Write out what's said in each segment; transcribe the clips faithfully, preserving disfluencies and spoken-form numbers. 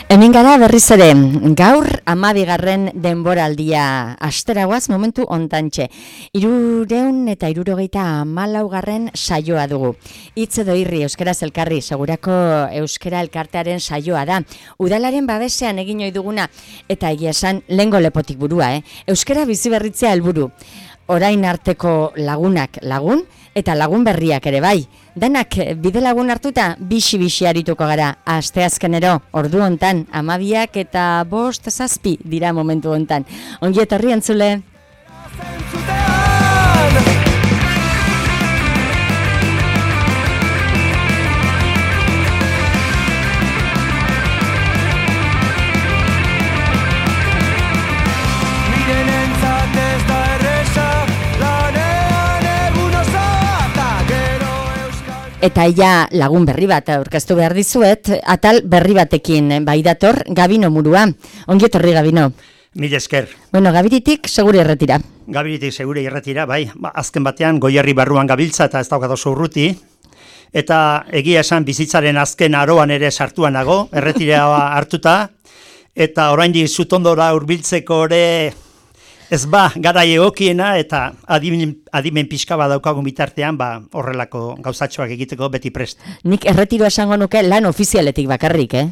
Hemen gara berriz ere, gaur hamabigarren denboraldia asteragoaz momentu ontantxe. Hirureun eta hirurogeita hamalaugarren saioa dugu. Hitz edo irri euskaraz elkarri, segurako euskara elkartearen saioa da. Udalaren babesean egin ohi duguna eta egia esan lehengo lepotik burua, eh? Euskara biziberritzea helburu. Orain arteko lagunak lagun eta lagun berriak ere bai. Danak bide lagun hartuta bixi-bixi arituko gara. Asteazkenero, ordu hontan, hamabiak eta bost zazpi dira momentu hontan. Ongi etorri entzule. Eta ia lagun berri bat aurkeztu behar dizuet, atal berri batekin bai dator Gabino Murua. Ongi etorri Gabino. Mil esker. Bueno, Gabiritik seguri erretira. Gabiritik seguri erretira, bai. Ba, azken batean Goierri barruan gabiltza eta ez daukat oso urruti. Eta egia esan bizitzaren azken aroan ere sartuan nago, erretira hartuta. Eta oraindik zutondora hurbiltzeko ere ez ba, garai egokiena eta adimen, adimen pixka bat daukagun bitartean, ba, horrelako gauzatxoak egiteko beti prest. Nik erretiro esango nuke lan ofizialetik bakarrik, eh?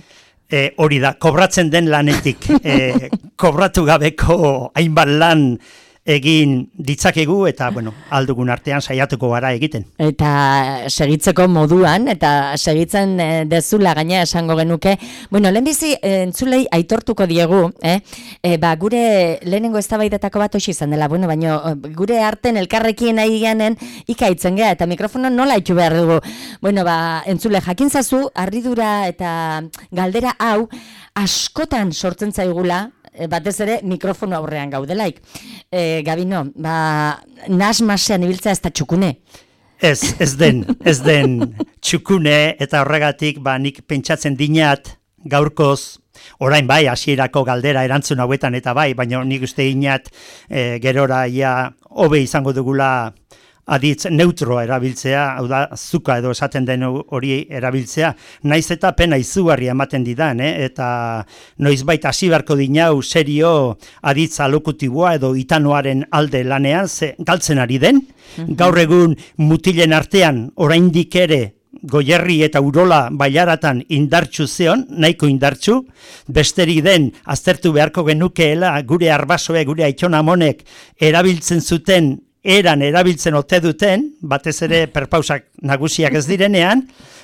E, hori da, kobratzen den lanetik. e, kobratu gabeko hainbat lan egin ditzakegu eta, bueno, aldugun artean saiatuko gara egiten. Eta segitzeko moduan, eta segitzen e, dezula gaina esango genuke. Bueno, lehenbizi e, entzulei aitortuko diegu, eh? E, ba, gure lehenengo eztabaidatako bat hoxe izan dela, bueno, baina gure arten elkarrekin nahi ganen ikaitzen gea, eta mikrofono nola itxu behar dugu. Bueno, ba, entzule jakintzazu, harridura eta galdera hau askotan sortzen zaigula, batez ere mikrofono aurrean gaudelaik. E, Gabino, ba, nasmasean ibiltzea ez da txukune? Ez, ez den, ez den txukune eta horregatik ba, nik pentsatzen dinat gaurkoz, orain bai, hasierako galdera erantzun hauetan eta bai, baina nik uste dinat e, gerora ja hobe izango dugula aditz neutroa erabiltzea, hau da, zuka edo esaten den hori erabiltzea, naiz eta pena izugarria ematen didan, eh? Eta noizbait hasi beharko dinau serio aditz alokutiboa edo itanoaren alde lanean, ze galtzen ari den, mm-hmm. Gaur egun mutilen artean oraindik ere Goierri eta Urola bailaratan indartsu zeon, nahiko indartsu, besterik den aztertu beharko genukeela gure arbasoe, gure aitxonamonek erabiltzen zuten eran erabiltzen ote duten, batez ere perpausak nagusiak ez direnean,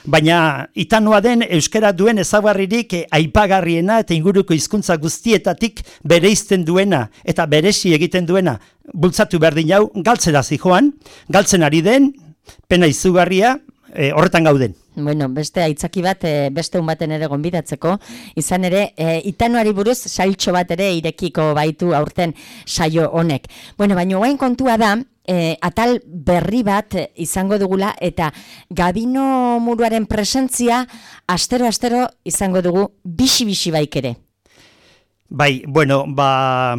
baina itanoa den euskara duen ezagarririk aipagarriena eta inguruko hizkuntza guztietatik bereizten duena eta beresi egiten duena bultzatu behar dinau, galtzera zijoan, galtzen ari den, pena izugarria, e, horretan gauden. Bueno, beste aitzaki bat, e, beste un baten ere gonbidatzeko, izan ere, e, itanoari buruz sailtxo bat ere irekiko baitu aurten saio honek. Bueno, baina guain kontua da, e, atal berri bat izango dugula eta Gabino Muruaren presentzia astero-astero izango dugu bixi-bixi baik ere. Bai, bueno, ba,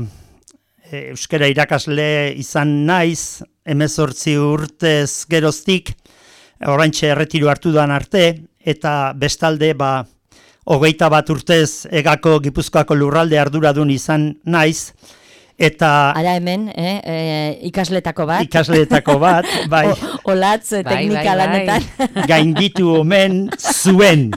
e, euskara irakasle izan naiz, hemezortzi urtez geroztik, oraintxe erretiro hartu dan arte, eta bestalde, ba, hogeita bat urtez egako Gipuzkoako lurralde arduradun izan naiz, eta... Ara hemen, eh, e, ikasletako bat. Ikasletako bat, bai. O, olatz, teknika lanetan. Gainditu omen zuen.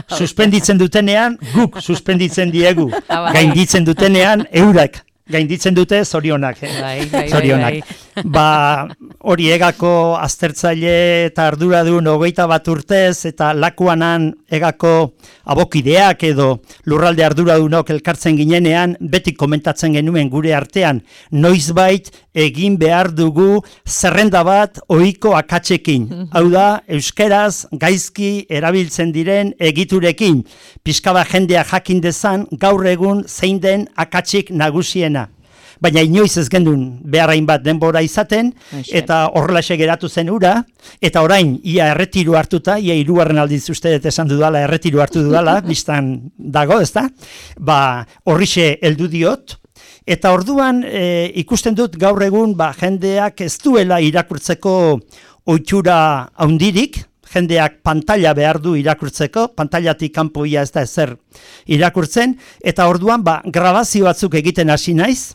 Suspenditzen dutenean, guk suspenditzen diegu. Gainditzen dutenean, eurak. Gainditzen dute zorionak, eh? Bai, bai, zorionak. Bai, bai. Ba, hori egako aztertzaile eta arduradun hogeita bat urtez eta lakuanan egako abokideak edo lurralde arduradunok elkartzen ginenean, beti komentatzen genuen gure artean, noizbait egin behar dugu zerrenda bat ohiko akatsekin. Hau da, euskeraz gaizki erabiltzen diren egiturekin. Pixkaba jendea jakin dezan, gaur egun zein den akatsik nagusien. Baina inoiz ez gendun beharrain bat denbora izaten, eta horrelaxe geratu zen ura, eta orain ia erretiru hartuta, ia hirugarren aldiz uste dut esan dudala, erretiru hartu dudala, biztan dago, ezta? Ba, horrixe heldu diot, eta orduan e, ikusten dut gaur egun ba, jendeak ez duela irakurtzeko ohitura handirik, jendeak pantalla behar du irakurtzeko, pantailatik kanpo ia ez da ezer irakurtzen, eta orduan ba, grabazio batzuk egiten hasi naiz,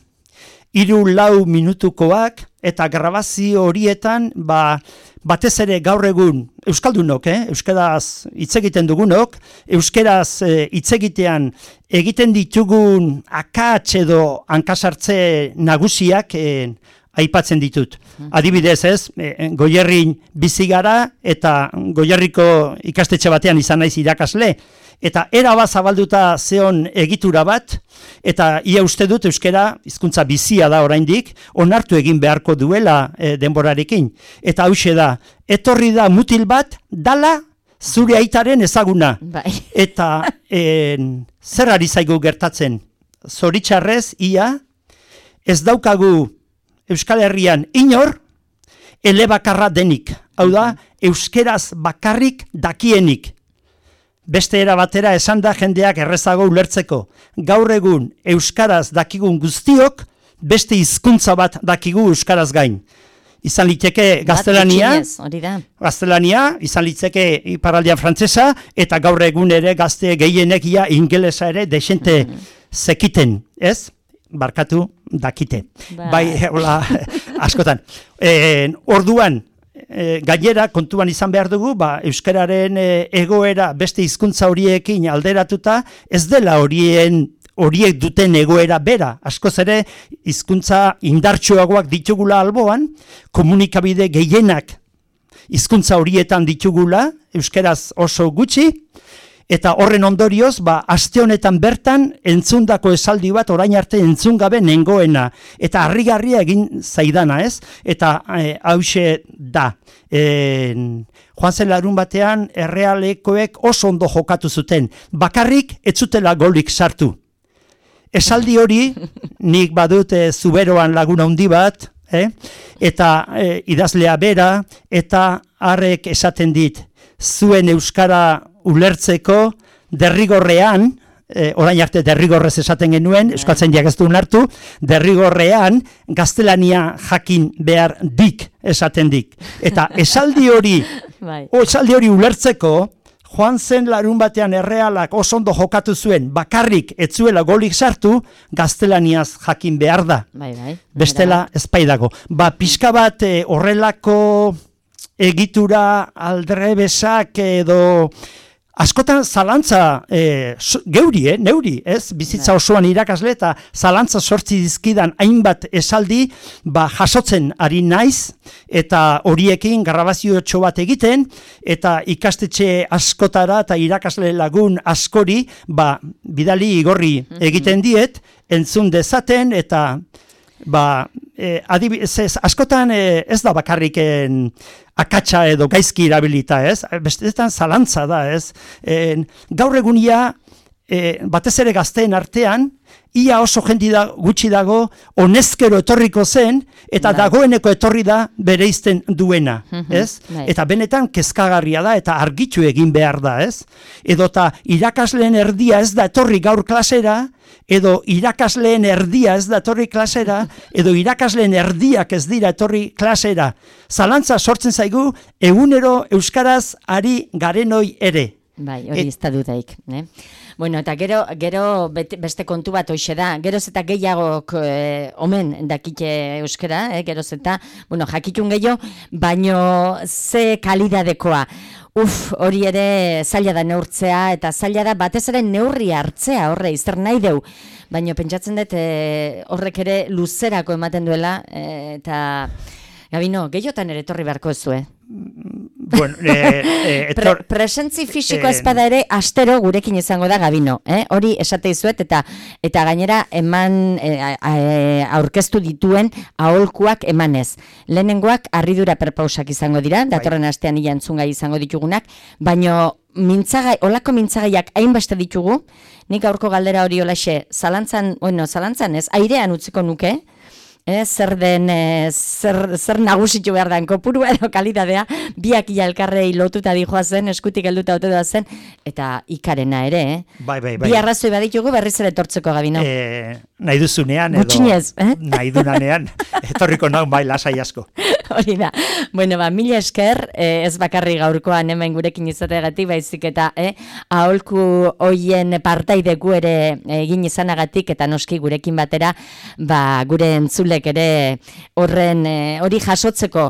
hiru lau minutukoak, eta grabazio horietan ba, batez ere gaur egun euskaldunok, eh? Euskaraz hitz egiten dugunok, euskaraz eh, hitz egitean egiten ditugun akats edo hankasartze nagusiak eh, aipatzen ditut. Adibidez ez, eh, Goierrin bizi gara eta Goierriko ikastetxe batean izan naiz irakasle, eta eraba zabalduta zeon egitura bat, eta ia uste dut euskara hizkuntza bizia da oraindik, onartu egin beharko duela e, denborarekin. Eta hauxe da, etorri da mutil bat, dala zure aitaren ezaguna. Bai. Eta en, zer ari zaigu gertatzen? Zoritxarrez, ia, ez daukagu Euskal Herrian inor, elebakarra denik. Hau da, euskeraz bakarrik dakienik. Beste era batera esan da jendeak errezago ulertzeko. Gaur egun euskaraz dakigun guztiok, beste hizkuntza bat dakigu euskaraz gain. Izan liteke gaztelania, gaztelania, izan liteke iparraldean frantsesa, eta gaur egun ere gazte gehienekia ingelesa ere desente zekiten, ez? Barkatu dakite. Ba. Bai, hola, askotan. E, orduan, E, gainera, kontuan izan behar dugu, ba, euskararen e, egoera beste hizkuntza horiekin alderatuta, ez dela horien horiek duten egoera bera. Askoz ere, hizkuntza indartsuagoak ditugula alboan, komunikabide gehienak hizkuntza horietan ditugula, euskaraz oso gutxi, eta horren ondorioz, ba, aste honetan bertan entzundako esaldi bat orain arte entzun gabe nengoena. Eta harrigarria egin zaidana, ez? Eta e, hause da. E, joan zen larun batean, errealekoek oso ondo jokatu zuten. Bakarrik ez zutela golik sartu. Esaldi hori, nik badut e, zuberoan laguna handi bat, eh? Eta e, idazlea bera, eta harrek esaten dit, zuen euskara ulertzeko derrigorrean, eh, orain arte derrigorrez esaten genuen, euskaltzaindiak ez du ulertu, derrigorrean gaztelania jakin behar dik esaten dik. Eta esaldi hori, o esaldi hori ulertzeko, joan zen larun batean errealak oso ondo jokatu zuen, bakarrik ez zuela golik sartu, gaztelaniaz jakin behar da. Bai, bai. Bestela ezpaidago. Ba, pixka bat eh, horrelako egitura aldrebesak edo askotan zalantza e, geuri, eh, neuri, ez? Bizitza osoan irakasle eta zalantza sortzi dizkidan hainbat esaldi, ba, jasotzen ari naiz, eta horiekin grabazio bat egiten, eta ikastetxe askotara eta irakasle lagun askori, ba, bidali igorri egiten diet, entzun dezaten, eta ba, eh, adibidez, askotan eh, ez da bakarriken akatsa edo gaizki erabilita, ez? Bestetan zalantza da, ez? E, gaur egunia, e, batez ere gazteen artean, ia oso jendi da, gutxi dago, honezkero etorriko zen, eta bai. Dagoeneko etorri da bereizten duena, ez? Bai. Eta benetan kezkagarria da, eta argitu egin behar da, ez? Edota irakasleen erdia ez da etorri gaur klasera, edo irakasleen erdia ez da etorri klasera, edo irakasleen erdiak ez dira etorri klasera. Zalantza sortzen zaigu, egunero euskaraz ari garenoi ere. Bai, hori ez da dudaik. Eh? Bueno, eta gero, gero beste kontu bat hoxe da, geroz eta gehiagok eh, omen dakite euskara, eh, geroz eta, bueno, jakitun gehiago, baino ze kalidadekoa. Uf, hori ere zaila da neurtzea, eta zaila da batez ere neurri hartzea, horre, izter nahi deu. Baina pentsatzen dut e, horrek ere luzerako ematen duela, e, eta Gabino, gehiotan ere etorri beharko ez zuen. Bueno, eh, eh, etor... Pre presentzi fisiko eh, ezpada ere astero gurekin izango da Gabino, eh? Hori esate izuet eta eta gainera eman eh, aurkeztu dituen aholkuak emanez. Lehenengoak harridura perpausak izango dira, datorren astean ia entzungai izango ditugunak, baino mintzagai, olako mintzagaiak hainbeste ditugu, nik aurko galdera hori holaxe, zalantzan, bueno, zalantzan ez, airean utziko nuke, Eh, zer den, eh, zer, zer nagusitu behar den kopurua edo kalidadea, biak ia elkarrei lotuta dijoa zen, eskutik helduta ote da zen, eta ikarena ere, eh? Bai, bai, bai. Bi arrazoi baditugu berriz ere etortzeko, Gabino. Eh, nahi duzunean, edo Gutxinez, eh? nahi dunanean, etorriko nahi bai lasai asko. Hori da. Bueno, ba, mila esker, eh, ez bakarri gaurkoan hemen gurekin izateagatik, baizik eta eh, aholku hoien partaideku ere egin izanagatik, eta noski gurekin batera, ba, gure entzulek ere horren eh, hori jasotzeko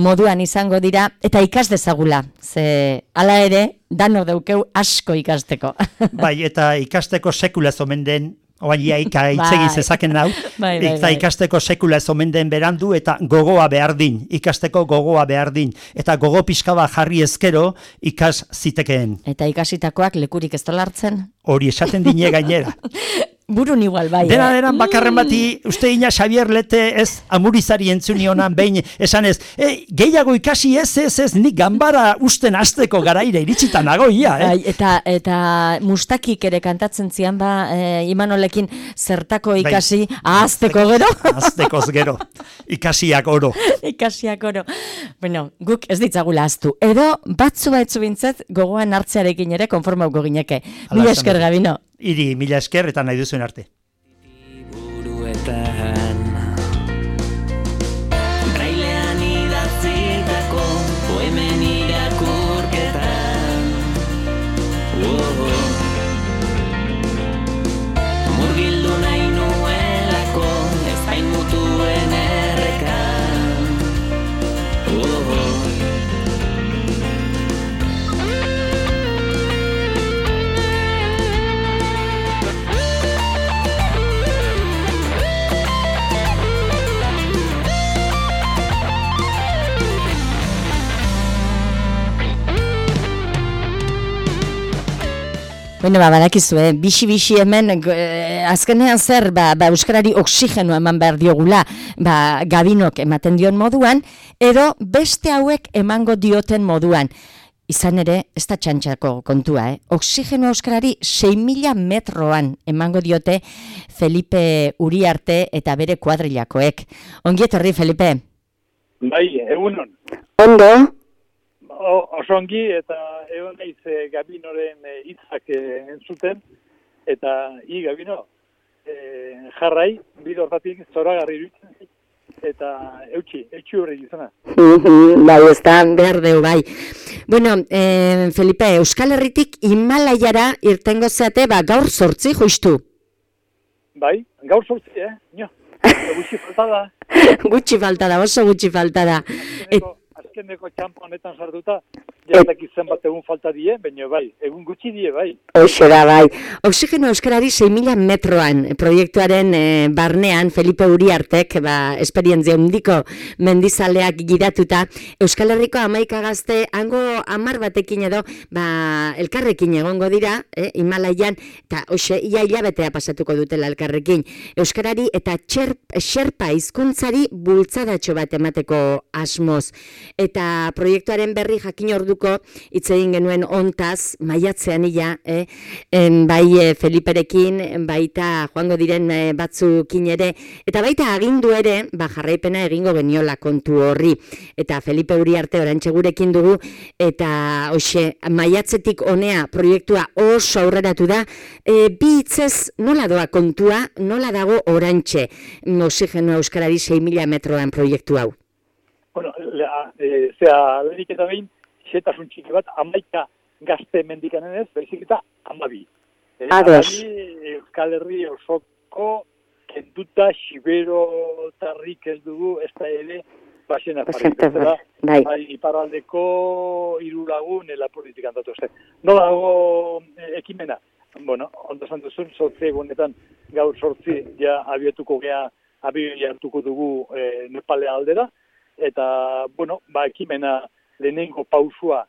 moduan izango dira, eta ikas dezagula, ze hala ere, danok daukeu asko ikasteko. Bai, eta ikasteko sekula ez omen den, oain iaika itzegin zezaken nau, bai, bai, eta bai. ikasteko sekula ez omen den berandu, eta gogoa behar din, ikasteko gogoa behar din, eta gogo pixka bat jarri ezkero ikas zitekeen. Eta ikasitakoak lekurik ez dola hartzen? Hori esaten dine gainera. Burun igual, bai. Dena eh? denan bakarren bati, uste ina Xabier Lete ez amurizari entzuni honan behin esan ez, e, gehiago ikasi ez, ez, ez, nik ganbara usten azteko garaire iritsita nago ia, eh? Bai, eta, eta mustakik ere kantatzen zian ba, e, Imanolekin zertako ikasi, bai, ahazteko gero. Ahaztekoz gero, ikasiak oro. Ikasiak oro. Bueno, guk ez ditzagula ahaztu. Edo batzu baitzu bintzat gogoan hartzearekin ere konformauko gineke. Mila esker, Gabino. Iri, mila esker eta nahi duzuen arte. Buruetan Brailean idatzitako poemen irakurketan oh, oh. Murgildu nahi nuelako ezpain mutuen errekan oh, oh. Bueno, ba, badakizu, eh? Bixi-bixi hemen, eh, azkenean zer, ba, ba, euskarari oksigeno eman behar diogula, ba, Gabinok ematen dion moduan, edo beste hauek emango dioten moduan. Izan ere, ez da txantxako kontua, eh? Oksigeno euskarari sei mila metroan emango diote Felipe Uriarte eta bere kuadrilakoek. Ongi etorri, Felipe? Bai, egunon. Ondo? O, osongi eta egon naiz e, Gabinoren hitzak e, entzuten, eta i Gabino, e, jarrai, bide hortatik zoragarri iruditzen, eta eutxi, eutxi horri izana. Bai, ez da, behar deu, bai. Bueno, eh, Felipe, Euskal Herritik Himalaiara irtengo zeate, ba, gaur sortzi justu. Bai, gaur sortzi, eh? Nio, gutxi falta da. Gutxi falta da, oso gutxi falta da. Et, Azkeneko txampa honetan sartuta, jatak izan bat egun falta die, baina bai, egun gutxi die, bai. Hoxe da, bai. Oksigeno euskarari sei mila metroan proiektuaren e, barnean Felipe Uriartek, ba, esperientzia handiko mendizaleak gidatuta, Euskal Herriko hamaika gazte, hango hamar batekin edo, ba, elkarrekin egongo dira, eh, Himalaian, eta hoxe, ia hilabetea pasatuko dutela elkarrekin. Euskarari eta txerp, xerpa hizkuntzari bultzadatxo bat emateko asmoz. Eta proiektuaren berri jakin orduko hitz egin genuen ontaz, maiatzean ia, eh? en, bai e, Feliperekin, baita joango diren e, batzukin ere, eta baita agindu ere, ba, jarraipena egingo geniola kontu horri. Eta Felipe Uriarte orantxe gurekin dugu, eta hoxe, maiatzetik honea proiektua oso aurreratu da, e, bi hitzez nola doa kontua, nola dago orantxe, oxigeno euskarari sei mila metroan proiektu hau. Bueno, lea, e, zera, lehenik eta behin, xetasun txiki bat, amaika gazte mendikanen ez, behizik eta amabi. E, Ados. Amabi, Euskal Herri osoko, kenduta, xibero, tarrik ez dugu, ez da ere, basena jarri. Bai. Bai, iparraldeko hiru lagun ela politikan datu ez. Nola dago e, ekimena? Bueno, ondo esan duzun, sortzi egunetan gaur sortzi ja abietuko gea, abiatuko dugu e, Nepale aldera, eta, bueno, ba, ekimena lehenengo pausua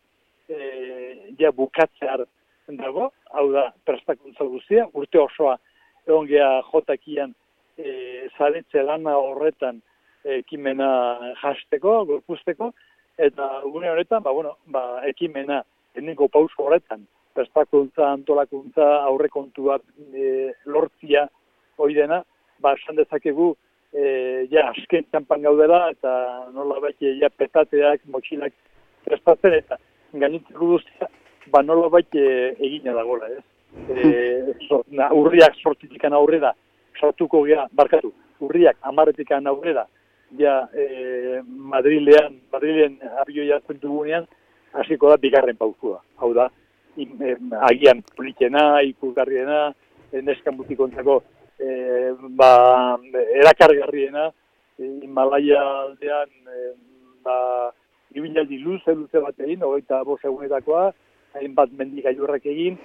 e, ja bukatzear dago, hau da, prestakuntza guztia, urte osoa egon gea jotakian e, zaretze lana horretan e, ekimena jasteko, gorpuzteko, eta gune horretan, ba, bueno, ba, ekimena lehenengo pausu horretan, prestakuntza, antolakuntza, aurrekontuak e, lortzia hoi dena, ba, esan dezakegu, E, ja, azken txampan gaudela, eta nola baita, ja, petateak, motxilak prestatzen, eta gainitzeko guztia, ba, nola baita egina dagoela, ez? E, so, na, urriak sortitikan aurrera, sortuko gea, barkatu, urriak amarretikan aurrera, ja e, Madrilean, Madrilen abioia hartzen dugunean, hasiko da bigarren pausua. Hau da, im, e, agian politena, ikusgarriena, e, neska mutikontzako e, ba, erakargarriena, e, Himalaia aldean e, ba, ibilaldi luze, luze bat egin, hogeita bost egunetakoa, hainbat mendigaiurrak egin,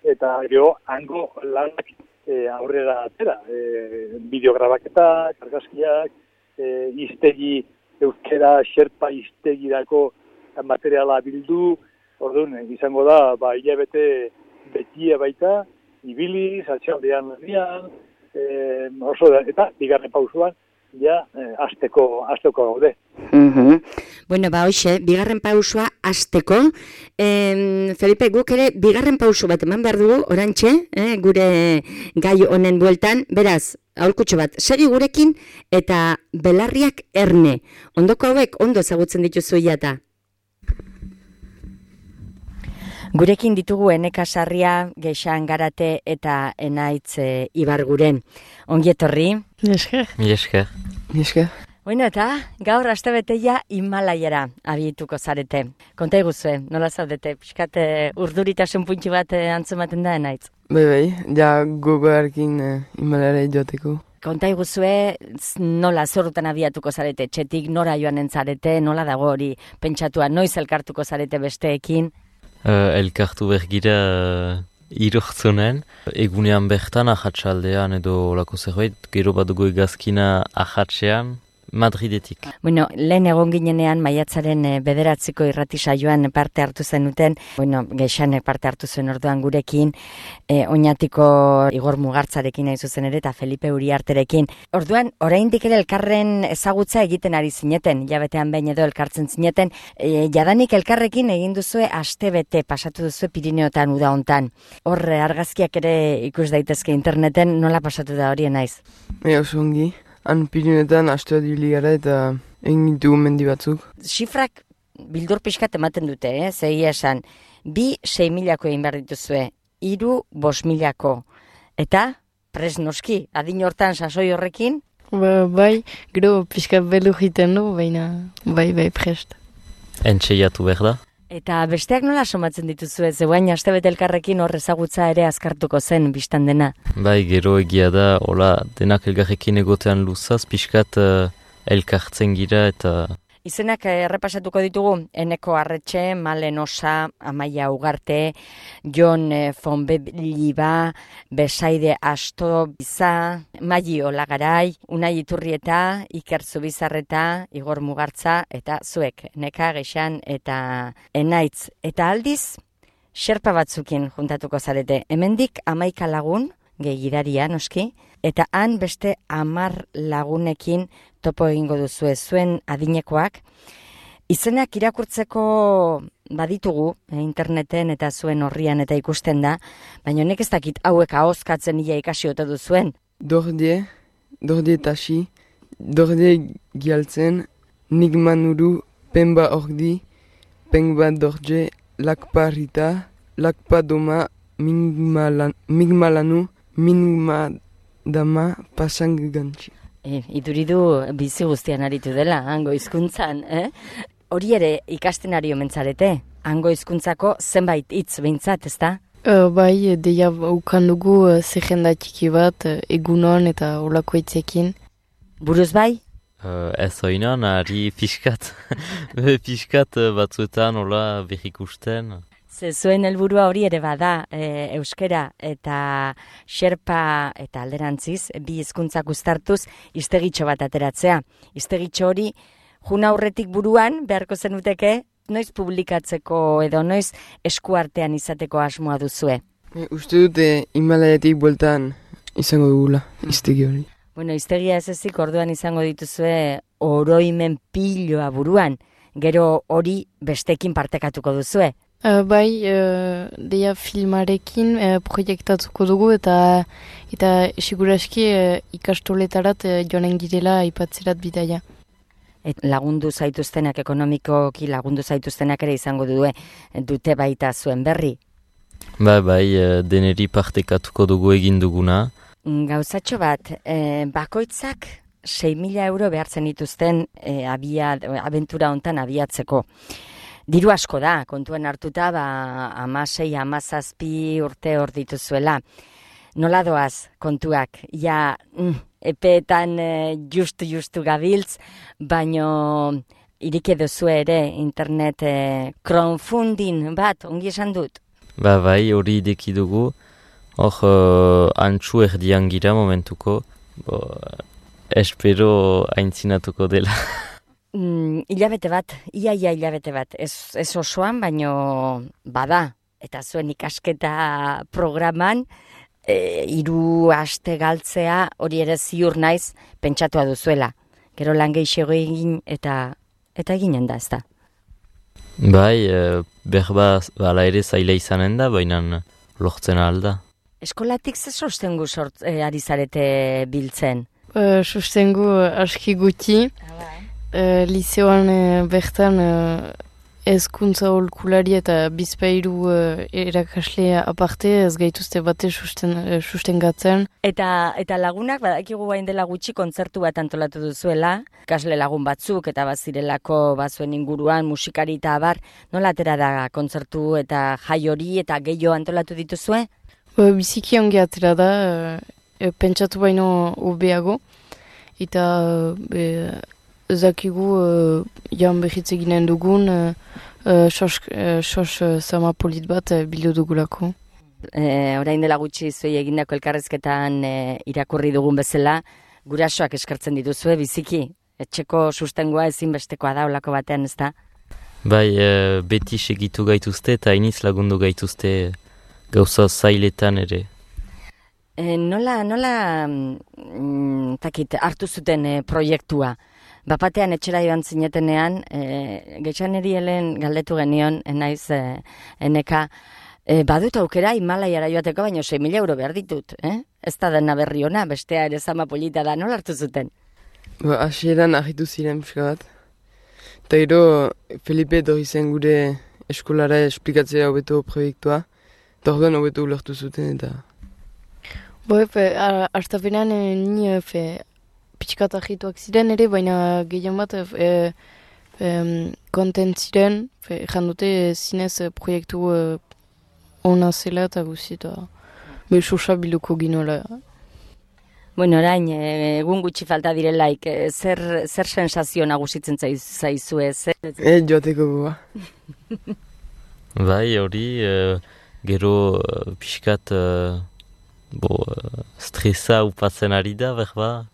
eta gero hango lanak e, aurrera atera. E, bideograbaketa, kargazkiak, e, iztegi, euskera, xerpa iztegirako materiala bildu, orduan, izango da, ba, hilabete betia baita, ibili, zatxaldean herrian, e, oso da, eta bigarren pausuan, ja, eh, azteko, azteko gaude. Uhum. Bueno, ba, hoxe, bigarren pausua azteko. Eh, Felipe, guk ere bigarren pausu bat eman behar dugu, orantxe, eh, gure gai honen bueltan. Beraz, aholkutxo bat, segi gurekin eta belarriak erne. Ondoko hauek ondo ezagutzen dituzu jata. Gurekin ditugu Eneka Sarria, Geixan Garate eta Enaitz e, Ibarguren. Ongi etorri. Esker. Esker. Esker. Bueno, eta gaur astebeteia Himalaiara abietuko zarete. Konta iguzue, nola zaudete? Piskat urduritasun puntxu bat antzematen da Enaitz? Bai, bai, ja gogoarekin uh, Himalaiara joateko. Konta iguzue, nola zorrutan abiatuko zarete? Txetik nora joanen zarete, nola dago hori pentsatua, noiz elkartuko zarete besteekin? Uh, elkartu bergira uh, irortzunen, egunean bertan ahatsaldean edo lako zerbait, gero bat dugu egazkina ahatsean, Madridetik. Bueno, lehen egon ginenean maiatzaren bederatziko irrati saioan parte hartu zenuten, bueno, Geixanek parte hartu zuen orduan gurekin, e, Oñatiko Igor Mugartzarekin nahi zuzen ere eta Felipe Uriarterekin. Orduan, oraindik ere elkarren ezagutza egiten ari zineten, jabetean behin edo elkartzen zineten, e, jadanik elkarrekin egin duzue astebete pasatu duzue Pirineotan uda hontan. Hor argazkiak ere ikus daitezke interneten, nola pasatu da hori naiz? Bai, oso ongi. Han Pirineotan astea dibili gara eta egin ditugu mendi batzuk. Zifrak bildur pixkat ematen dute, eh? Zegia esan, bi sei milako egin behar dituzue, hiru bost milako. Eta, pres noski, adin hortan sasoi horrekin? Ba, bai, gero pixkat belu jiten du, baina bai, bai, prest. Entxeiatu behar da. Eta besteak nola somatzen dituzue, zeuain astebete elkarrekin hor ezagutza ere azkartuko zen bistan dena? Bai, gero egia da, hola, denak elgarrekin egotean luzaz, pixkat uh, elkartzen gira eta... Izenak errepasatuko ditugu, Eneko Arretxe, Malen Osa, Amaia Ugarte, Jon Fonbeliba, Besaide Asto Biza, Maili Olagarai, Unai Iturrieta, Iker Zubizarreta, Igor Mugartza, eta zuek, Neka, Geixan eta Enaitz. Eta aldiz, xerpa batzukin juntatuko zarete. Hemendik hamaika lagun, gehi gidaria noski, eta han beste hamar lagunekin topo egingo duzu zuen adinekoak. Izenak irakurtzeko baditugu eh, interneten eta zuen horrian eta ikusten da, baina honek ez dakit hauek ahozkatzen ia ikasi ote duzuen. Dordie, Dordie Tashi, Dordie Gialtzen, Nigma Nuru, Pemba Ordi, Pengba Dorje, Lakpa Rita, Lakpa Doma, Mingmalan, Mingmalanu, Mingma Dama, Pasang Gantxi. E, iduridu bizi guztian aritu dela, hango hizkuntzan, eh? Hori ere ikasten ari omentzarete, hango hizkuntzako zenbait hitz behintzat, ezta? Uh, bai, deia ukan dugu uh, zerrenda txiki bat, uh, egunon eta olako hitzekin. Buruz bai? Uh, ez oinan, ari pixkat, pixkat uh, batzuetan hola berrikusten. Ze zuen helburua hori ere bada, e, euskera eta xerpa eta alderantziz, bi hizkuntzak uztartuz, iztegitxo bat ateratzea. Iztegitxo hori, juna aurretik buruan, beharko zenuteke, noiz publikatzeko edo noiz eskuartean izateko asmoa duzue. E, uste dute Himalaiatik bueltan izango dugula, iztegi hori. Bueno, iztegia ez ezik orduan izango dituzue oroimen piloa buruan, gero hori bestekin partekatuko duzue. Uh, bai, uh, deia filmarekin uh, proiektatuko dugu eta eta siguraski uh, ikastoletarat uh, joanen girela aipatzerat bidaia. Et lagundu zaituztenak, ekonomikoki lagundu zaituztenak ere izango due, dute baita zuen berri. Bai, bai, deneri partekatuko dugu egin duguna. Gauzatxo bat, eh, bakoitzak sei mila euro behartzen dituzten e, abia, abentura hontan abiatzeko. Diru asko da, kontuen hartuta, ba, amasei, amazazpi urte hor dituzuela. Nola doaz kontuak, ja mm, epeetan e, justu-justu gabiltz, baino irik duzu ere internet e, crowdfunding bat, ongi esan dut? Ba bai, hori ideki dugu, hor uh, antxu erdian gira momentuko, bo, espero aintzinatuko dela. Mm, hilabete bat, ia ia hilabete bat, ez, ez osoan, baino bada, eta zuen ikasketa programan, e, hiru aste galtzea hori ere ziur naiz pentsatua duzuela. Gero lan gehiago egin eta eta eginen da, ezta? Bai, e, berba bala ere zaila izanen da, baina lortzen alda. Eskolatik ze sostengu sort, e, ari zarete biltzen? Uh, sustengu aski guti. Uh, liceoan uh, bertan uh, ezkuntza holkulari eta bizpairu uh, erakasle aparte ez gaituzte bate susten, uh, sustengatzen. Eta, eta lagunak, badakigu bain dela gutxi kontzertu bat antolatu duzuela, kasle lagun batzuk eta bazirelako bazuen inguruan musikari eta abar, nola atera da kontzertu eta jai hori eta gehiago antolatu dituzue? Uh, biziki ongi atera da, uh, pentsatu baino hobeago, eta uh, ezakigu uh, jan behitz eginen dugun uh, uh, sos, uh, sos uh, sama polit bat uh, bildu dugulako. E, orain dela gutxi zuei egindako elkarrezketan e, irakurri dugun bezala, gurasoak eskartzen dituzue biziki, etxeko sustengoa ezinbestekoa da olako batean, ez da? Bai, e, beti segitu gaituzte eta iniz lagundu gaituzte gauza zailetan ere. E, nola, nola mm, takit, hartu zuten e, proiektua? Bapatean etxera joan zinetenean, e, getxaneri helen galdetu genion, enaiz, e, eneka, e, badut aukera Himalaiara joateko, baino sei mila euro behar ditut, eh? Ez da dena berri ona, bestea ere zama polita da, nola hartu zuten? Ba, hasieran argitu ziren pixka bat. Eta gero, Felipe etorri zen gure eskolara esplikatzea hobeto proiektua. Eta orduan hobeto ulertu zuten eta... Bo, efe, hartapenean ni efe, pixkat argituak ziren ere, baina gehien bat e, e, kontent ziren, ejan dute zinez proiektu e, ona zela eta guzi eta besosa biluko ginola. Bueno, orain, egun gutxi falta direlaik, zer, zer sensazio nagusitzen zaizu ez? E, joateko goa. Bai, hori, e, gero pixkat e, bo, stresa upatzen ari da, berba.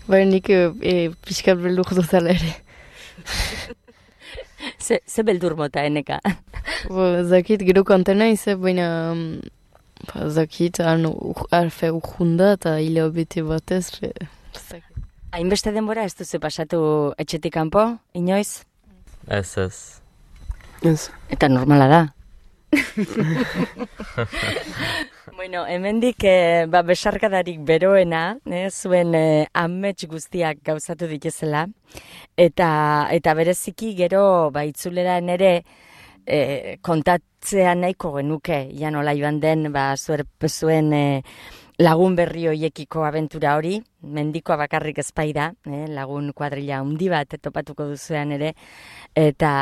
Bai, nik e, pixkat beldur dutala ere. ze, ze beldur mota, eneka? Bo, zakit, gero kantena izan, baina ba, zakit, arfe urjunda eta hile bete batez. Hainbeste denbora ez duzu pasatu etxetik kanpo, inoiz? Ez, ez. Ez. Eta normala da. Bueno, hemendik eh, ba, besarkadarik beroena, eh, zuen eh, amets guztiak gauzatu dituzela, eta eta bereziki gero ba, itzuleran ere eh, kontatzea nahiko genuke, ja nola joan den ba, zuer, zuen eh, lagun berri hoiekiko abentura hori, mendikoa bakarrik ezpai da, eh, lagun kuadrilla handi bat topatuko duzuean ere, eta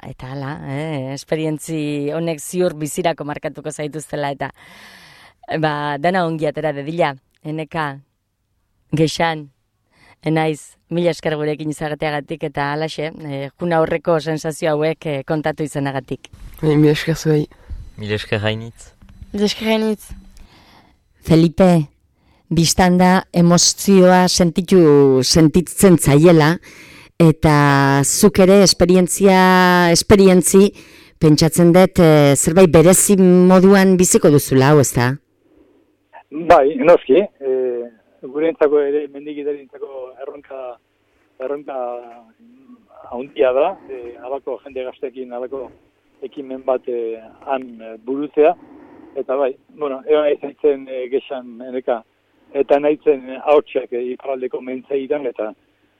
eta hala, eh, esperientzi honek ziur bizirako markatuko zaituztela, eta ba, dana ongi atera dedila, eneka, gexan, enaiz, mila esker gurekin izagateagatik, eta halaxe, eh, juna horreko sensazio hauek eh, kontatu izanagatik. E, mila esker zuei. Mila esker hainitz. Mila esker hainitz. Felipe, biztanda emozioa sentitu sentitzen zaiela, eta zuk ere esperientzia, esperientzi, pentsatzen dut e, zerbait berezi moduan biziko duzula, hau ez da? Bai, noski, e, gure entzako ere, mendigitari entzako erronka, erronka haundia da, e, alako jende gaztekin, alako ekimen bat e, han burutzea, eta bai, bueno, egon nahizen e, gexan eneka, eta nahizen hautsak e, iparaldeko mentzaidan, eta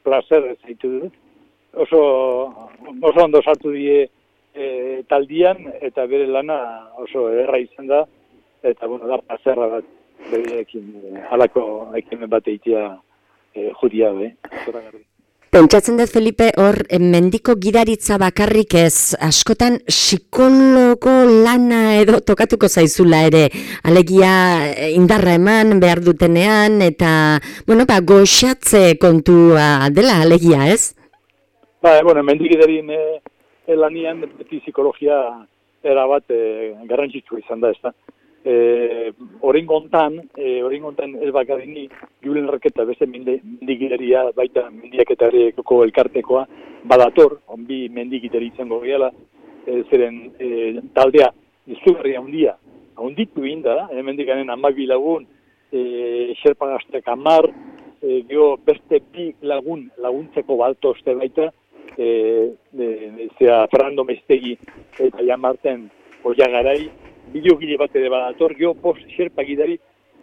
placer zaitu dut. Oso, oso ondo sartu die e, taldian, eta bere lana oso erra izan da, eta bueno, da plazerra bat, berekin halako ekimen bat eitea e, judia, be, zoragarri. Pentsatzen dut, Felipe, hor mendiko gidaritza bakarrik ez, askotan psikologo lana edo tokatuko zaizula ere, alegia indarra eman behar dutenean, eta, bueno, ba, goxatze kontua dela, alegia, ez? Ba, bueno, mendigiderin e, lanian beti psikologia erabat e, garrantzitsua izan da, ez da. E, oringontan, e, oringontan ez bakarini, Julen Erreketa beste mendigideria, baita mendiaketareko elkartekoa, badator, onbi mendigideri izango gehala, e, zeren e, taldea izugarri handia, handitu inda, e, mendikanen amabi lagun, e, xerpagaztek amar, e, geho beste bi lagun laguntzeko baltozte baita, e, e, zera Fernando Mestegi eta Jamarten Oiagarai, bideogile bat ere badator, geho post xerpa gidari,